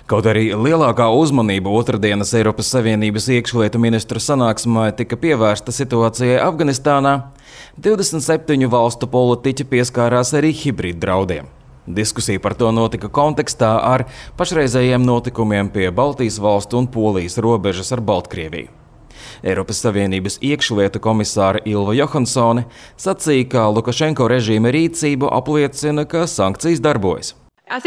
Kaut arī lielākā uzmanība otrdienas Eiropas Savienības iekšlietu ministru sanāksmē tika pievērsta situācijai Afganistānā, 27 valstu politiķi pieskārās arī hibrīdu draudiem. Diskusija par to notika kontekstā ar pašreizējiem notikumiem pie Baltijas valstu un Polijas robežas ar Baltkrieviju. Eiropas Savienības iekšlietu komisāra Ilva Johansone sacīja, ka Lukašenko režīma rīcību apliecina, ka sankcijas darbojas. Es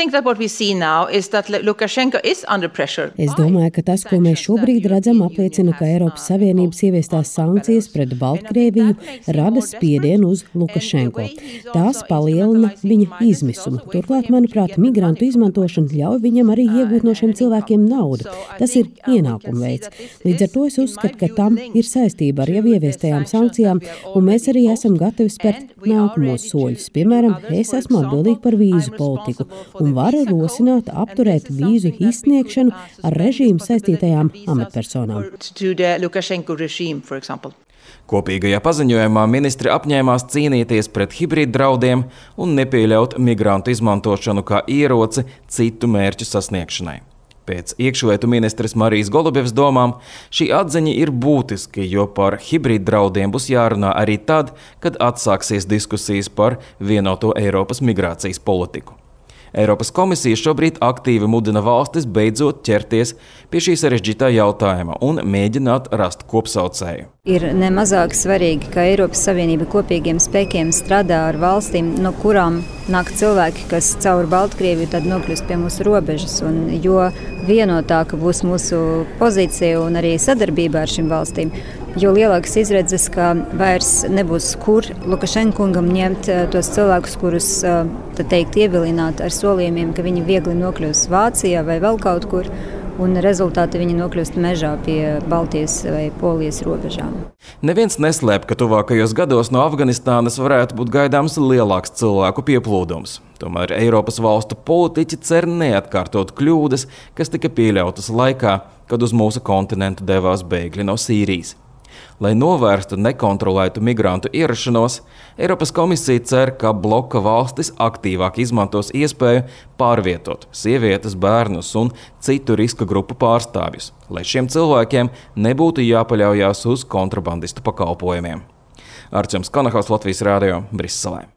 domāju, ka tas, ko mēs šobrīd redzam, apliecina, ka Eiropas Savienības ieviestās sankcijas pret Baltkrieviju rada spiedienu uz Lukašenko. Tās palielina viņa izmisumu. Turklāt, manuprāt, migrantu izmantošana ļauj viņam arī iegūt no šiem cilvēkiem naudu. Tas ir ienākuma veids. Līdz ar to es uzskatu, ka tam ir saistība ar jau ieviestajām sankcijām, un mēs arī esam gatavi spērt nākamos soļus. Piemēram, es esmu atbildīgi par vīzu politiku un varu rosināt apturēt vīzu izsniegšanu ar režīmu saistītajām amatpersonām. Kopīgajā paziņojumā ministri apņēmās cīnīties pret hibrīdu draudiem un nepieļaut migrantu izmantošanu kā ieroci citu mērķu sasniegšanai. Pēc iekšlietu ministres Marijas Golubevas domām šī atziņa ir būtiski, jo par hibrīdu draudiem būs jārunā arī tad, kad atsāksies diskusijas par vienoto Eiropas migrācijas politiku. Eiropas komisija šobrīd aktīvi mudina valstis beidzot ķerties pie šī sarežģītā jautājuma un mēģināt rast kopsaucēju. Ir nemazāk svarīgi, ka Eiropas Savienība kopīgiem spēkiem strādā ar valstīm, no kurām nāk cilvēki, kas caur Baltkrieviju tad nokļūst pie mūsu robežas. Un jo vienotāka būs mūsu pozīcija un arī sadarbība ar šīm valstīm, jo lielākas izredzes, ka vairs nebūs kur Lukašenkungam ņemt tos cilvēkus, kurus ievilināt ar solījumiem, ka viņi viegli nokļūs Vācijā vai vēl kaut kur, un rezultāti viņi nokļūst mežā pie Baltijas vai Polijas robežām. Neviens neslēp, ka tuvākajos gados no Afganistānas varētu būt gaidāms lielāks cilvēku pieplūdums. Tomēr Eiropas valstu politiķi cer neatkārtot kļūdas, kas tika pieļautas laikā, kad uz mūsu kontinentu devās bēgļi no Sīrijas. Lai novērstu nekontrolētu migrantu ierašanos, Eiropas komisija cer, ka bloka valstis aktīvāk izmantos iespēju pārvietot sievietes, bērnus un citu riska grupu pārstāvjus, lai šiem cilvēkiem nebūtu jāpaļaujās uz kontrabandistu pakalpojumiem. Arčuns Kanahaus, Latvijas radio, Briselē.